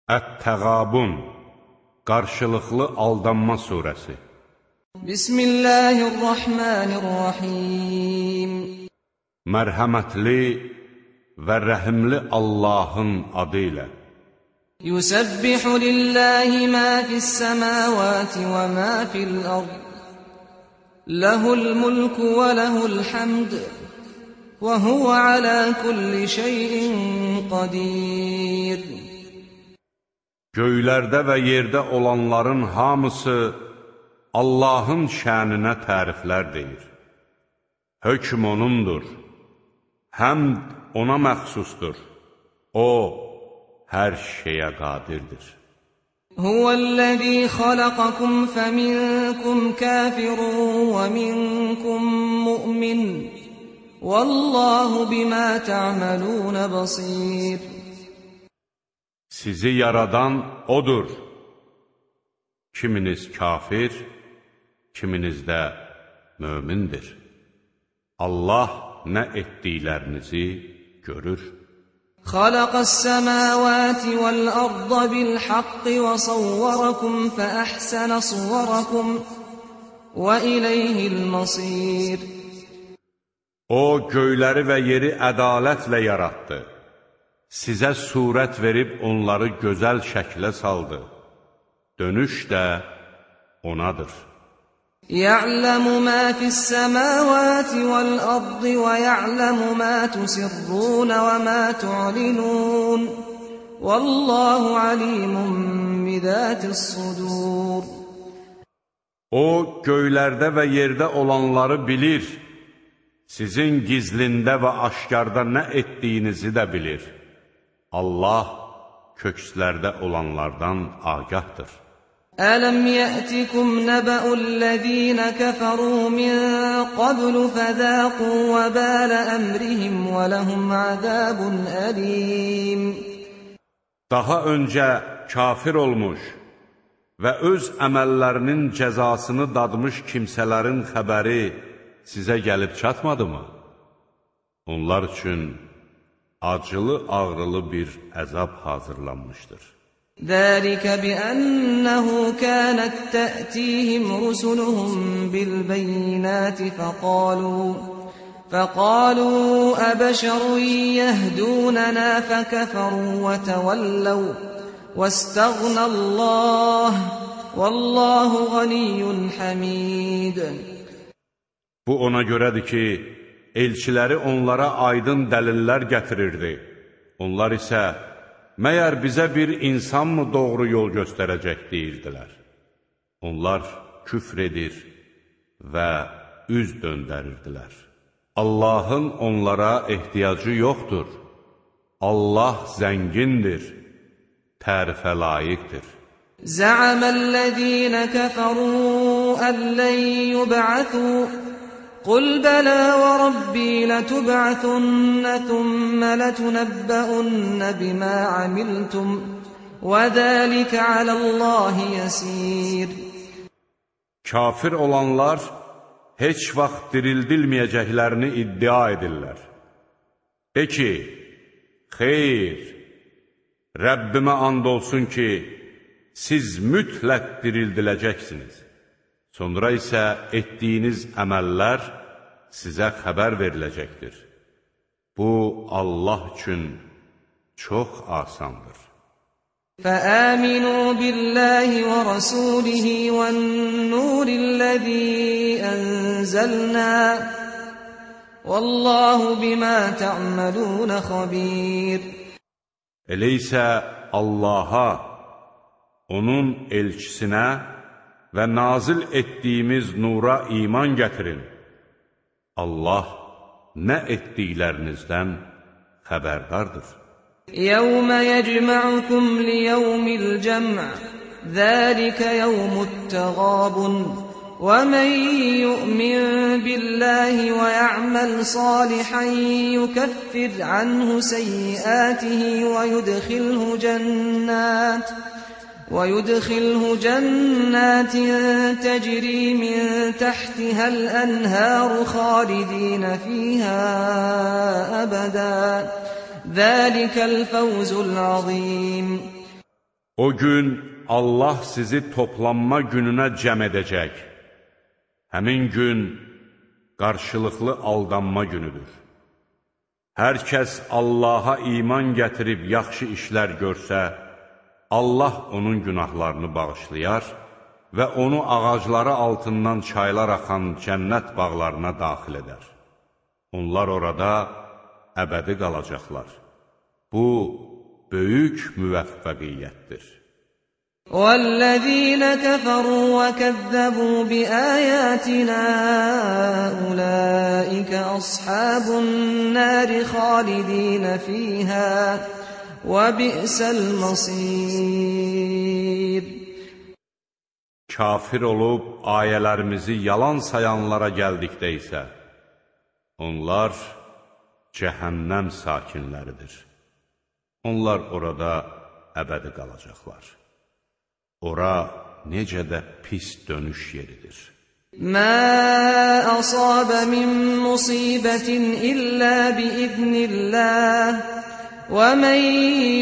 Ət-Təğabun, qarşılıqlı aldanma surəsi. Bismillahirrahmanirrahim. Mərhəmətli və rəhimli Allahın adı ilə. Yusabbihu lillahi ma fis-semawati və ma fil-ard. Lehul mulku və lehul hamd. Və huve ala kulli şeyin qadir. Göylərdə və yerdə olanların hamısı Allahın şəninə təriflər deyir. Hökm O'nundur, həmd O'na məxsusdur. O, hər şeyə qadirdir. Huvəl-ləzî xalaqakum fəminkum kafirun və minkum mu'min. Vallahu bima ta'malun basir. Sizi yaradan O'dur. Kiminiz kafir, kiminiz də mömindir. Allah nə etdiklərinizi görür. Xalaqas-semawati vel-arda bil-haqqi və savvarakum fə-əhsənə suvarakum və ileyhil-masir. O, göyləri və yeri ədalətlə yaratdı. Sizə surət verib onları gözəl şəklə saldı. Dönüş də O'nadır. Ya'lamu ma fis-semawati vel-ardi və ya'lamu ma tusirrun və ma tu'linun. Vallahu alimun bizatis-sudur. O, göylərdə və yerdə olanları bilir. Sizin gizlində və aşkarda nə etdiyinizi də bilir. Allah kökslərdə olanlardan agahdır. Ələm yətikum nəbə'ullezîne kəfərû min qablu fəzâqû və bələ əmrihim və ləhum əzâbun əlîm. Daha öncə kafir olmuş və öz əməllərinin cəzasını dadmış kimsələrin xəbəri sizə gəlib çatmadı mı? Onlar üçün acılı-ağrılı bir əzab hazırlanmışdır. Zəlikə biənnəhu kənət tə'tihim rusuluhum bil-beyinəti fəqalu əbəşərun yəhdûnənə fəkəfəru və təvəlləv və istəğnəlləh vəlləhu ğaniyyun həmid. Bu ona görədir ki, elçiləri onlara aydın dəlillər gətirirdi. Onlar isə, məyər bizə bir insanmı doğru yol göstərəcək deyirdilər. Onlar küfr edir və üz döndərirdilər. Allahın onlara ehtiyacı yoxdur. Allah zəngindir, tərifə layiqdir. Zə'aməl-ləzīnə kəfərū əlləy yub'athū قل بلى وربي لتبعثن ثم لتنبؤن بما عملتم وذلك على الله يسير. Kafir olanlar heç vaxt dirildilməyəcəklərini iddia edirlər. De ki, xeyr, Rəbbimə and olsun ki, siz mütləq dirildiləcəksiniz. Sonra isə etdiyiniz əməllər sizə xəbər veriləcəkdir. Bu, Allah üçün çox asandır. فَآمِنُوا بِاللَّهِ وَرَسُولِهِ وَالنُّورِ الَّذِي أَنزَلْنَا وَاللَّهُ بِمَا تَعْمَلُونَ خَبِيرٌ. Elə isə Allaha, onun elçisinə və nazil etdiyimiz nura iman gətirin. Allah nə etdiklərinizdən xəbərdardır. يَوْمَ يَجْمَعُكُمْ لِيَوْمِ الْجَمْعِ ذَلِكَ يَوْمُ التَّغَابُنِ وَمَنْ يُؤْمِنْ بِاللَّهِ وَيَعْمَلْ صَالِحًا يُكَفِّرْ عَنْهُ سَيِّئَاتِهِ ويدخله جنات تجري من تحتها الأنهار خالدين فيها أبدا ذلك الفوز العظيم. O gün Allah sizi toplanma gününə cəm edəcək. Həmin gün qarşılıqlı aldanma günüdür. Hər kəs Allaha iman gətirib yaxşı işlər görsə, Allah onun günahlarını bağışlayar və onu ağacları altından çaylar axan cənnət bağlarına daxil edər. Onlar orada əbədi qalacaqlar. Bu, böyük müvəffəqiyyətdir. وَالَّذِينَ كَفَرُوا وَكَذَّبُوا بِآيَاتِنَا أُولَئِكَ أَصْحَابُ النَّارِ خَالِدِينَ فِيهَا وَبِئْسَ الْمَصِيرُ Kafir olub ayələrimizi yalan sayanlara gəldikdə isə, onlar cəhənnəm sakinləridir. Onlar orada əbədi qalacaqlar. Ora necə də pis dönüş yeridir. مَا أَصَابَ مِن مُّصِيبَةٍ إِلَّا بِإِذْنِ اللَّهِ وَمَن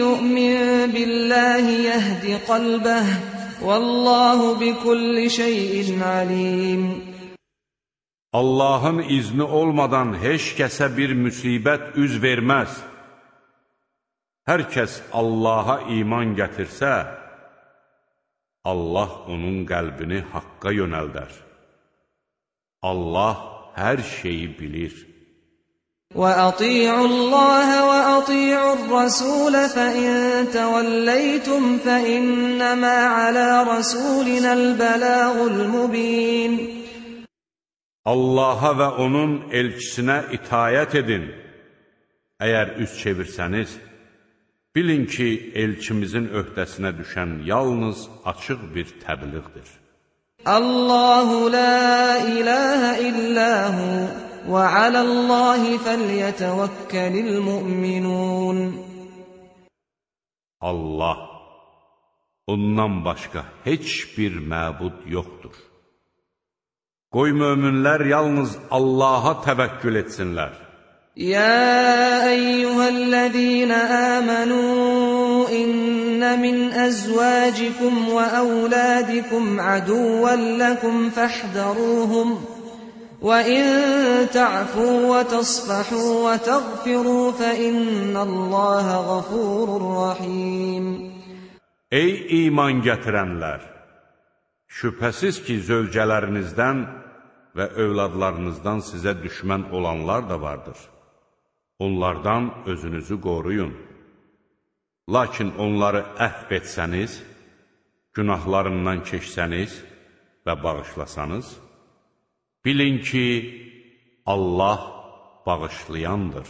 يُؤْمِن بِاللَّهِ يَهْدِ قَلْبَهُ وَاللَّهُ بِكُلِّ شَيْءٍ عَلِيمٌ Allahın izni olmadan heç kəsə bir müsibət üz verməz. Hər kəs Allaha iman gətirsə, Allah onun qəlbini haqqa yönəldər. Allah hər şeyi bilir. وَأَطِيعُوا اللَّهَ وَأَطِيعُوا الرَّسُولَ فَإِن تَوَلَّيْتُمْ فَإِنَّمَا عَلَى رَسُولِنَا الْبَلَاغُ الْمُبِينُ Allaha və onun elçisinə itayət edin. Əgər üz çevirsəniz, bilin ki, elçimizin öhdəsinə düşən yalnız açıq bir təbliğdir. Allahu la ilahe illahu və alallahi fəlyətəvəkkəlil mü'minun. Allah, ondan başqa heç bir məbud yoxdur. Qoy möminlər yalnız Allaha təvəkkül etsinlər. يا أيها الذين آمنوا إن من أزواجكم وأولادكم عدوا لكم فاحذروهم وإن تعفوا وتصفحوا وتغفروا فإن الله غفور رحيم Ey iman gətirənlər! Şübhəsiz ki, zövcələrinizdən və övladlarınızdan sizə düşmən olanlar da vardır. Onlardan özünüzü qoruyun. Lakin onları əhv etsəniz, günahlarından keçsəniz və bağışlasanız, bilin ki, Allah bağışlayandır,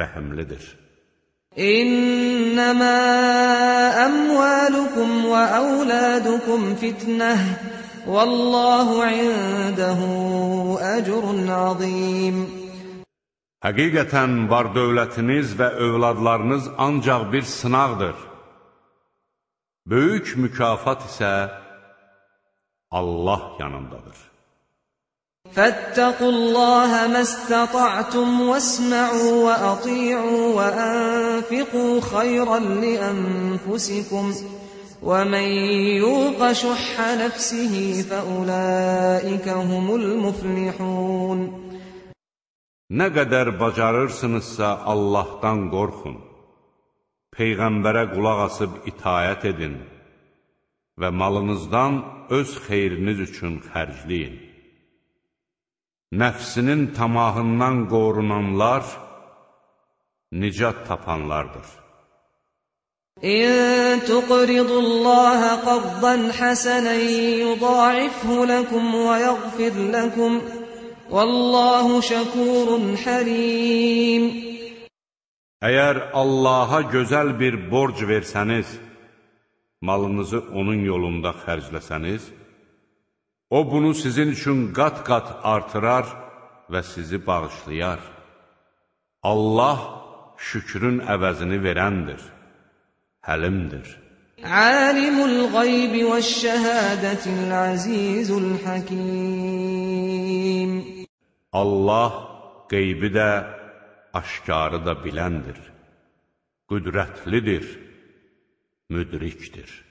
rəhimlidir. İnnəmə əmvalukum və əvladukum fitnəh, vəllahu indəhu əcrun azim. Həqiqətən var dövlətiniz və övladlarınız ancaq bir sınaqdır. Böyük mükafat isə Allah yanındadır. Fəttəqullaha məstəta'tum vəsma'u və ati'u və ənfiqu xayran li ənfusikum və mən yuqa şuhhə nəfsihi fəulaikə humul müflihun. Nə qədər bacarırsınızsa Allahdan qorxun, Peyğəmbərə qulaq asıb itayət edin və malınızdan öz xeyriniz üçün xərcləyin. Nəfsinin tamahından qorunanlar nicat tapanlardır. İn tuqridullaha qardan hasanan yuda'ifhu lakum və yaghfir lakum Vallahu şəkurun həlim. Əgər Allaha gözəl bir borc versəniz, malınızı onun yolunda xərcləsəniz, o bunu sizin üçün qat-qat artırar və sizi bağışlayar. Allah şükrün əvəzini verəndir, həlimdir. Alimul qaybi və şəhədətil azizul hakim. Allah qeybi də, aşkarı da biləndir, qüdrətlidir, müdrikdir.